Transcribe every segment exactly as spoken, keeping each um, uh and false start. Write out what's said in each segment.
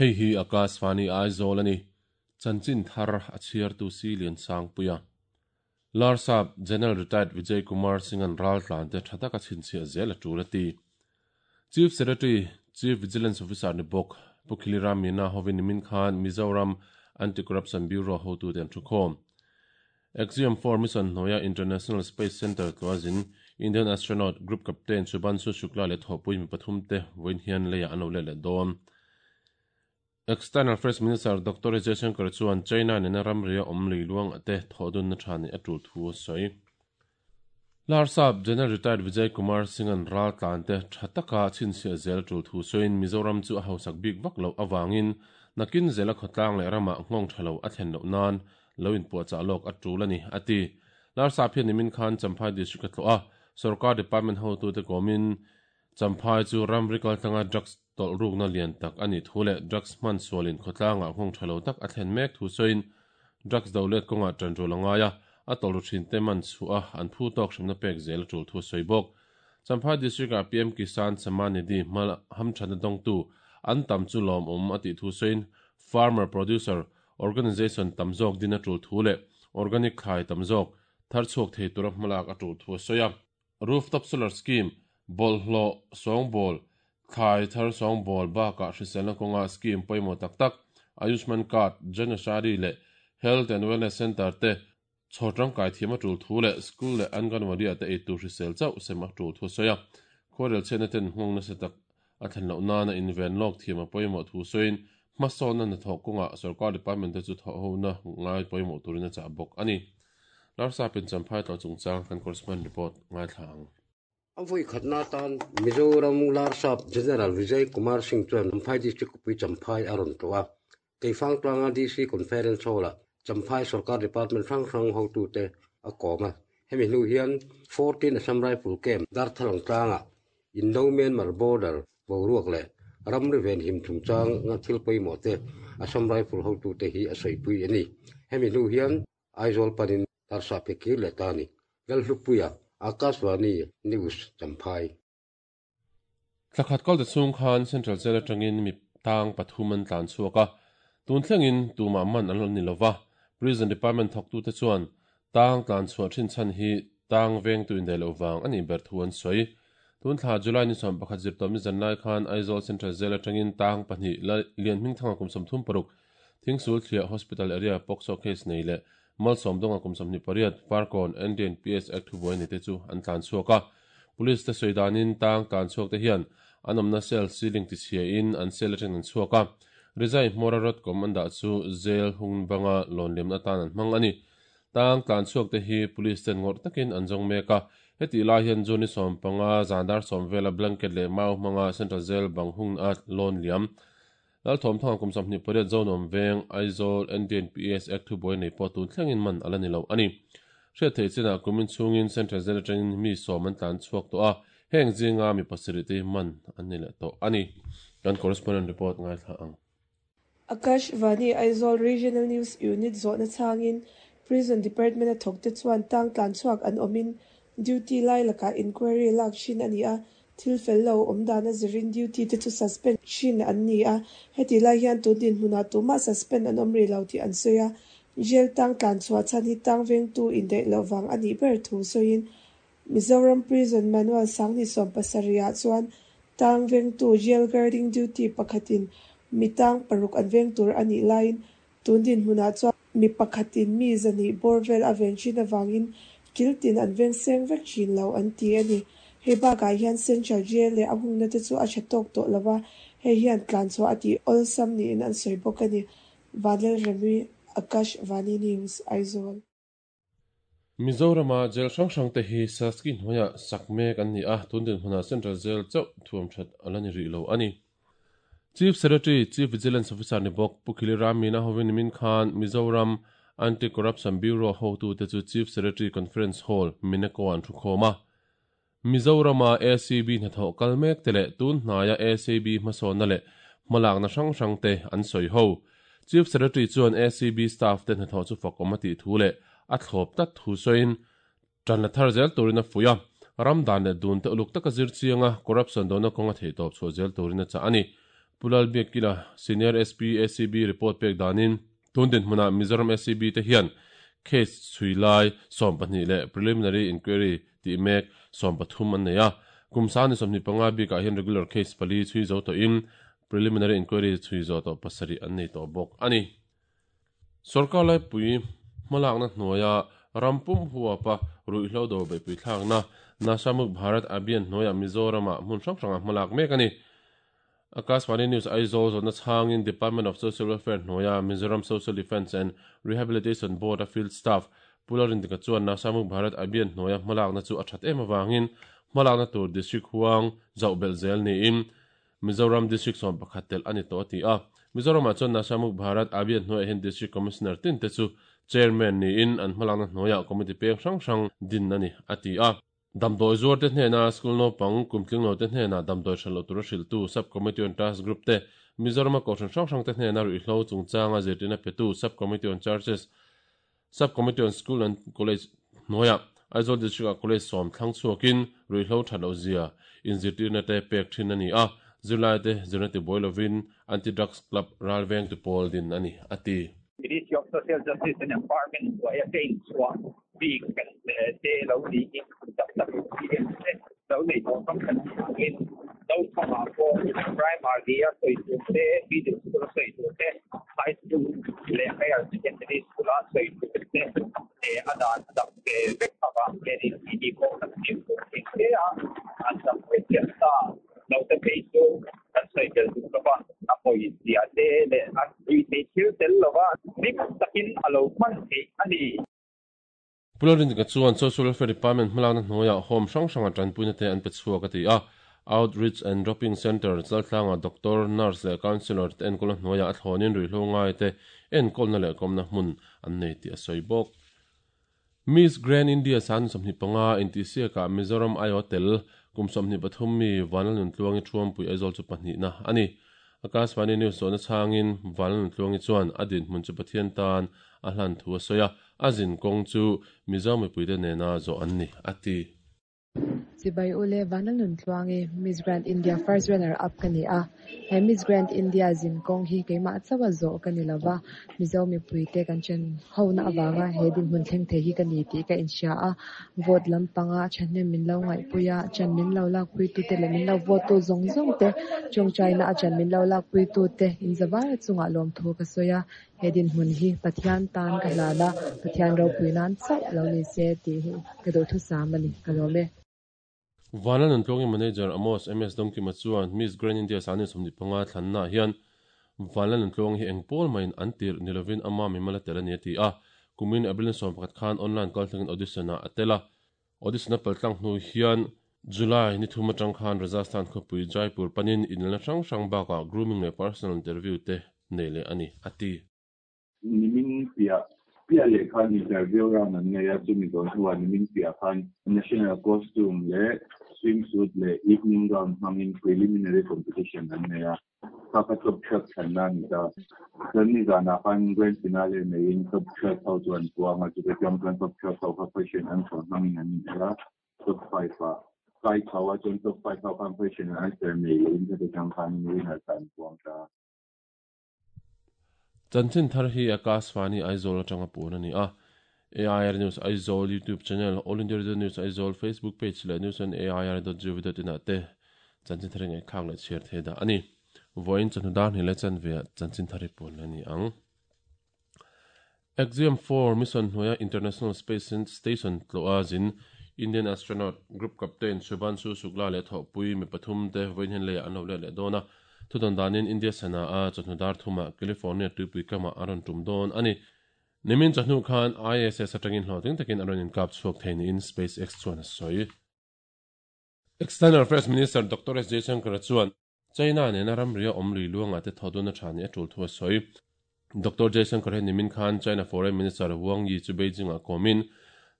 Hei hi Akashvani Aizawl a ni. Chanchin thar a chhiartu si lian sang puia. Larsap General Retired Vijay Kumar Singh an ral tlan te tha taka chhinchhiah zel a tul a ti. Chief Secretary, Chief Vigilance Officer ni bawk Pu Khiliram Meena hovin nimin khan Mizoram Anti-Corruption Bureau hotu te an thukhawm. Axiom four mission hnuaia International Space Centre tluazin Indian astronaut Group Captain Shubhanshu Shukla leh thawhpui mi pathum te vawiin hian leiah an lo let leh dawn. External Affairs Minister Doctor Jaishankar chuan China nena ramria awm lui luang te thawhdunna tha ni a tul thu a sawi. Larsap General Retired Vijay Kumar Singh an ral tlan te tha taka chhinchhiah zel tul thu sawiin Mizoram chu a hausak bik vak lo awangin nakin zela khawtlang leh ramah nghawng tha lo a thlen loh nan lo inpuahchah lawk a tul a ni a ti. Larsap hian nimin khan Champhai District a tlawh a, Sarkar Department hotu te kawmin Champhai chu ramri kaltlanga drugs tawlh rukna lian tak a nih thu leh drugs hman sualin khawtlangah nghawng tha lo tak a thlen mek thu sawiin drugs do let kawngah tan tul a ngai a, a tawlh ru thin te man chhuah a an phu tawk hremna pek zel a tul thu sawi bawk. Champhai District ah P M Kisan Samman Nidhi hma hamthatna dawngtu an tam chu lawm awm a tih thu sawiin Farmer Producer Organization tam zawk din a tul thu leh organic thlai tam zawk thar chhuak thei tura hmalak a tul thu a sawi a. Rooftop solar scheme bawlhhlawh sawngbawl thlai thar sawngbawl bakah hriselna kawnga scheme pawimawh tak tak Ayushman Card, Jan Aushadhi leh Health and Wellness Center te chhawr tangkai thiam a tul thu leh school leh anganwadi ah te ei tur hrisel chauh sem a tul thu a sawi a. Khuarel chhiatna ten nghawng nasa tak a thlen loh nana inven lawk thiam a pawimawh thu sawiin hmasawnna hnathawh kawngah sarkar department te chu thawh hona ngai pawimawh turin a chah bawk a ni. Larsapin Champhai tlawh chungchang kan correspondent report ngaithla ang. A vawi khatna tan Mizoram Larsap General Vijay Kumar Singh chuan Champhai District khawpui Champhai a rawn tlawh a. Keifang tlanga D C Conference Hall-ah Champhai Sarkar Department hrang hrang hotute a kawm a. Hemi hnu hian fourteen Assam Rifle Camp Darthalang tlangah Indo-Myanmar border boruak leh ramri ven him chungchang nga thil pawimawh te Assam Rifle hotute hi a sawipui a ni. Hemi hnu hian Aizawl panin Larsap hi kir leh ta a ni. Lalhlupuia Akashvani News Champhai. Thlakhat kal te chung khan Central Jail atangin mi tang pathum an tlan chhuak a. Tun thlengin tumah man an lo ni lova. Prison Department thawktu te chuan tang tlan chhuah thin chhan hi tang veng tu indai lo wang ani ber thu an sawi. Tun thla July ni sawm pakhat zir tawm ni zan lai khan Aizawl Central Jail atangin tang pahnih lian hming thanga kum sawm thum paruk Thingsul Thliah Hospital area POCSO case nei leh Malsawm donga kum sawmhnih pariat Farkawn N D N P S Act thubuai ni te chu an tlan chhuak a. Police te sawidanin tang tlan chhuak te hian an awmna cell ceiling ti chhia in an cell atangin an chhuak a. Rizai hmawra rod kom an dah chu jail hung banga lawn lemna tan an hmang a ni. Tang tlan chhuak te hi police ten ngawrh takin an zawng mek a. Heti lai hian June ni sawm panga zandar sawm vela blanket leh mau hmanga Central Jail bang hung a lawn liam. Lal thawm thanga kum sawmhnih pariat Zonawm veng Aizawl N D N P S Act thubuai nei pawh tun thlengin man ala ni lo a ni. Hriat theih chinah kumin chungin Central Jail atangin mi sawm an tlan chhuak tawh a, heng zinga mi pasarih te man an ni leh tawh a ni. Kan correspondent report ngaithla ang. Akashvani Aizawl Regional News Unit zawhna changin Prison Department a thawk te chuan tang tlan chhuak an awmin duty lai lakah inquiry lak thin a ni a, thil fel lo awm dan a zirin duty te chu suspend thin an ni a, heti lai hian tun din hmunah tumah suspend an awm ri lo tih an sawi a. Jail tang tlan chhuah chhan hi tang vengtu indaih loh wang a nih ber thu sawiin Mizoram Prison Manual sangni sawm pasarihah chuan tang vengtu jail guarding duty pakhatin mi tang paruk an veng tur a nih laiin tun din hmunah chuan mi pakhatin mi zahnih bawr vel a ven thin awangin kiltin an veng seng vek thin lo an ti a ni. Hei bakah hian Central Jail leh a hungna te chu a tha tawk tawh lova, hei hian tlan chhuah a tih awlsam niin an sawi bawk a ni. Vanlal Remi, Akashvani News, Aizawl. Mizorama jail hrang hrang te hi Saski hnuaiah sak mek an ni a, tun din hmunah Central Jail chauh thuam that ala ni rih lo a ni. Chief Secretary, Chief Vigilance Officer ni bawk Pu Khiliram Meena hovin nimin khan Mizoram Anti-Corruption Bureau hotu te chu Chief Secretary Conference Hall Mineko an thukhawm a. Mizorama A C B hnathawh kal mek te leh tun hnaia A C B hmasawnna leh hmalakna hrang hrang te an sawi ho. Chief Secretary chuan A C B staff te hnathawh chu fak awm a tih thu leh a thlawp tak thu sawiin tan la thar zel turin a fuih a. Ramdan leh dun te uluk taka zir chianga corruption dona kawnga theih tawp chhuah zel turin a chah a ni. Pulal Biakila Senior S P A C B report pek danin tundin hmuna Mizoram S C B te hian case chhuilai som pahnih le preliminary inquiry ti mek som pathum an nei a kumsani somni panga bi ka hian regular case pali chui zo to in preliminary inquiry chui zo to pasari an nei to bok ani sarkar lai pui hmalak na hnuaia rampum huwa pa ruihhlo do be pui thlak na Nashamuk Bharat Abhiyan hnuaia Mizorama hmun hrang hranga hmalak mek ani Akashvani News Aizawl zawhna chhangin Department of Social Welfare hnuaia Mizoram Social Defence and Rehabilitation Board a field staff Pularin tika chuan Nashamuk Bharat Abhiyan hnuaia hmalak na chu a that em awangin hmalak na tur district huang zauh belh zel niin Mizoram District sawm pakhat tel ani tawh a ti a Mizoramah chuan Nashamuk Bharat Abhiyan hnuaiah hian District Commissioner tin te chu Chairman niin an hmalak na hnuaiah committee peng hrang hrang din ani a ti a Damdoi zuar te hnena school no pang kumtling lo te hnena damdoi hralo tur a hrilh tu sub committee on task group te Mizoram a kohhran hrang hrang te hnena ruihhlo chungchanga zirtirna petu sub committee on churches sub committee on school and college hnuaiah Aizawl district a college sawm thlang chhuakin ruihhlo thatlo zia inzirtirna te pek thin ani a zirlai te zirna ti boi lovin anti drugs club ralveng tu pawl din ani ati Ministry of Social Justice and Empowerment hnuaia te inchhuah bik kan te lo ni in tak tak lo nei tawh kam kan in lo thawngah pawh primary a sawi tur te middle school a sawi tur te high school leh higher secondary school a sawi tur te a dan a dang ve vek awang hianin tih pawh kan hmuh tur thei hle a an dang ve chiah ta lo te phei chu kan sawi tel duh lova a pawi zia te leh a tui thei thil tel lova dik takin a lo hman theih ani. Pularin ka chuan Social Welfare Department hmalakna hnuaiah home hrang hranga tanpuina te an pe chhuak a ti a Outreach and Dropping Center chaltlanga doctor, nurse leh counselor te enkawlna hnuaiah a thlawnin ruihhlo ngai te enkawlna leh kawmna hmun an nei tih a sawi bawk. Miss Grand India san sawmhnih panga intihsiakah Mizoram I O tel kum sawmhnih pathum mi Vanlalnuntluangi Thuampui Aizawl chu pahnihna ani. Akashvani News zawhna chhangin Vanlalnuntluangi chuan a dinhmun chu Pathian tan a hlan thu a sawi a a zin kawng chu Mizo mipuite nena zawh an ni a ti. Chibai ule Vanlalnuntluangi Miss Grand India first runner up ka ni a he Miss Grand India zin kawng hi keimah chawa zawh ka ni lova Mizo mipuite kan chen ho na awanga he dinhmun thleng thei hi ka ni tih ka inhria a vote lampanga thahnem min lo ngaihpui a chan min lo lak pui tu te leh min lo vote tu zawng zawng te chawng China a chan min lo lak pui tu te inzawai chungah lawm thu ka sawi a he dinhmun hi Pathian tan ka hlan a Pathian ropui nan chauh lo ni se tih hi ka duh thu sam ani ka lawm e. Vanlalnuntluangi manager Amos M S Dongkima chuan Miss Grand India sani sawmhnih panga thlanna hian Vanlalnuntluangi hi engpawl maiin an tir nilovin ama mimala tel ani a ti a kumin April sawm pakhat khan online call thlengin audition a tel a audition a paltlang hnu hian July ni thum atang khan Rajasthan khawpui Jaipur panin inlna hrang hrang bakah grooming leh personal interview te nei leh ani a ti. Nimin pia pia leh khan interview round an nei a chumi dawn hnuah nimin pia khan national costume leh swimsuit leh evening gown hmangin preliminary competition an nei a kha kha top thrat thlanna ani ta chuan ni zanah khan grand finale neiin top thrat ho chuan puanga chute chuan chuan top thrat ho kha question answer hmangin an inel a top five ah kai tho a chuan top five ho khan question and answer nei lehin chute chuan khan winner tan puang ta. Chanchin thar hi Akashvani Aizawl atanga pun ani a A I R News Aizawl YouTube channel All India Radio News Aizawl Facebook page leh news on A I R dot gov dot in ah te chanchin thar ngai khang leh chhiar the da ani voin chanhu dar ni le chan ve chanchin thar hi pun ani ang. Axiom four mission hnuaia International Space Station tloa zin Indian astronaut group captain Shubhanshu Shukla leh thawhpui mi pathum te voin hen leiah an lo leh leh dawn a thudan danin India sana a chawhnu dar thuma California tuipui kama a rawn tum dawn ani. Nimin chawhnu khan I S S atangin hlawhtling takin a rawn inkap chhuak thei niin SpaceX chuan a sawi. External Affairs Minister Doctor S Jaishankar chuan China nena ramria awm lui luanga te thoduna thani a tul thu a sawi. Doctor Jaishankar he nimin khan China Foreign Minister Wang Yi chu Beijing a komin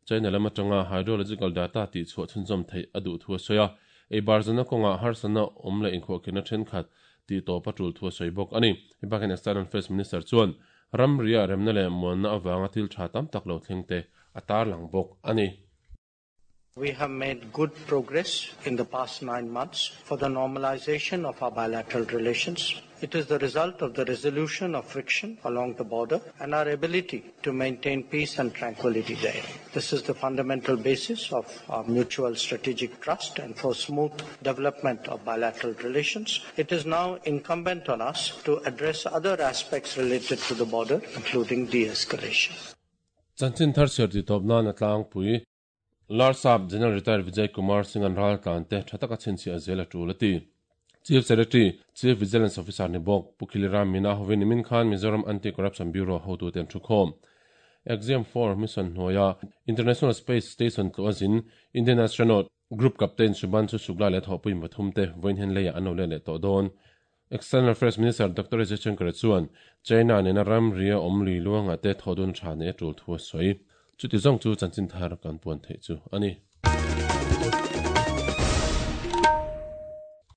China lama tanga hydrological data ti chhuah chhunzawm thei a duh thu a sawi a ei barzana kawnga harsana awm leh inkhawhkhirna thenkhat ti tawp a tul thu a sawi bawk ani. Hebakin External Affairs Minister chuan ramria remna leh muanna awanga thil tha tam tak lo thleng te a tar lang bawk ani. We have made good progress in the past nine months for the normalization of our bilateral relations. It is the result of the resolution of friction along the border and our ability to maintain peace and tranquility there. This is the fundamental basis of our mutual strategic trust and for smooth development of bilateral relations. It is now incumbent on us to address other aspects related to the border, including de-escalation. Chanchin thar chhiar ti tawp nan a tlangpui Larsap General Retired Vijay Kumar Singh an ral tlan te tha taka chhinchhiah zel a tul a ti. Chief Secretary, Chief Vigilance Officer ni bawk Pu Khiliram Meena hovin nimin khan Mizoram Anti-Corruption Bureau hotu ten thu khawm. Axiom four mission hnuaia International Space Station tluah zin Indian Astronaut Group Captain Shubhanshu Shukla leh thawhpui pathum te vawiin hen leiah an lo let leh tawh dawn. External Affairs Minister Doctor S Jaishankar chuan China nena ram ria awm lui luangah te thaw dun tha nei a tul thu a sawi. Chuti zawng chu chanchin thar kan puan theih chu a ni.